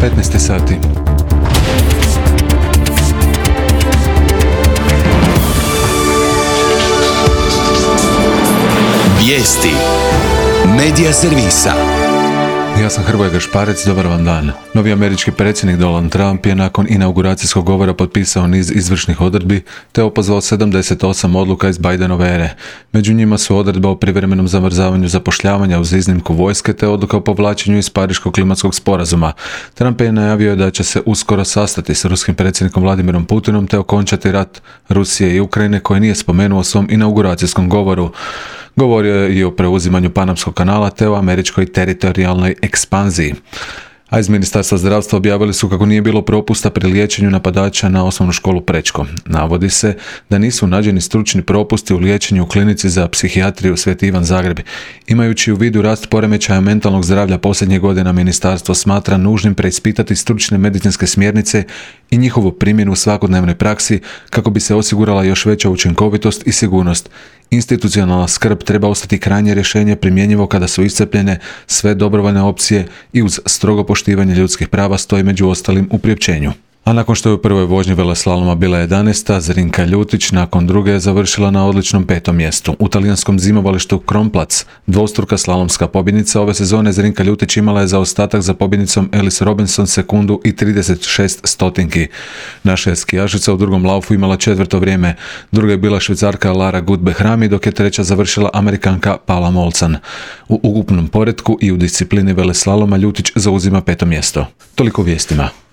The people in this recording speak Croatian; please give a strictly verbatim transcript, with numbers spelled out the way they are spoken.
petnaest sati. Vijesti Medija servisa. Ja sam Hrvoje Gašparec, dobar vam dan. Novi američki predsjednik Donald Trump je nakon inauguracijskog govora potpisao niz izvršnih odredbi te opozvao sedamdeset osam odluka iz Bidenove ere. Među njima su odredba o privremenom zamrzavanju zapošljavanja uz iznimku vojske te odluka o povlačenju iz Pariškog klimatskog sporazuma. Trump je najavio da će se uskoro sastati s ruskim predsjednikom Vladimirom Putinom te okončati rat Rusije i Ukrajine koji nije spomenuo u svom inauguracijskom govoru. Govorio je i o preuzimanju Panamskog kanala te o američkoj teritorijalnoj ekspanziji. A iz Ministarstva zdravstva objavili su kako nije bilo propusta pri liječenju napadača na osnovnu školu Prečko. Navodi se da nisu nađeni stručni propusti u liječenju u klinici za psihijatriju Sveti Ivan Zagreb. Imajući u vidu rast poremećaja mentalnog zdravlja posljednjih godina, ministarstvo smatra nužnim preispitati stručne medicinske smjernice i njihovu primjenu u svakodnevnoj praksi kako bi se osigurala još veća učinkovitost i sigurnost. Institucionalna skrb treba ostati krajnje rješenje primjenjivo kada su iscrpljene sve dobrovoljne opcije i uz strogo poštivanje ljudskih prava, stoji među ostalim u priopćenju. A nakon što je u prvoj vožnji veleslaloma bila jedanaesta, Zrinka Ljutić nakon druge je završila na odličnom petom mjestu. U talijanskom zimovalištu Kronplatz, dvostruka slalomska pobjednica ove sezone, Zrinka Ljutić imala je zaostatak za pobjednicom Alice Robinson sekundu i trideset šest stotinki. Naša je skijašica u drugom laufu imala četvrto vrijeme, druga je bila Švicarka Lara Gut-Behrami, dok je treća završila Amerikanka Paula Molcan. U ukupnom poretku i u disciplini veleslaloma Ljutić zauzima peto mjesto. Toliko vijestima.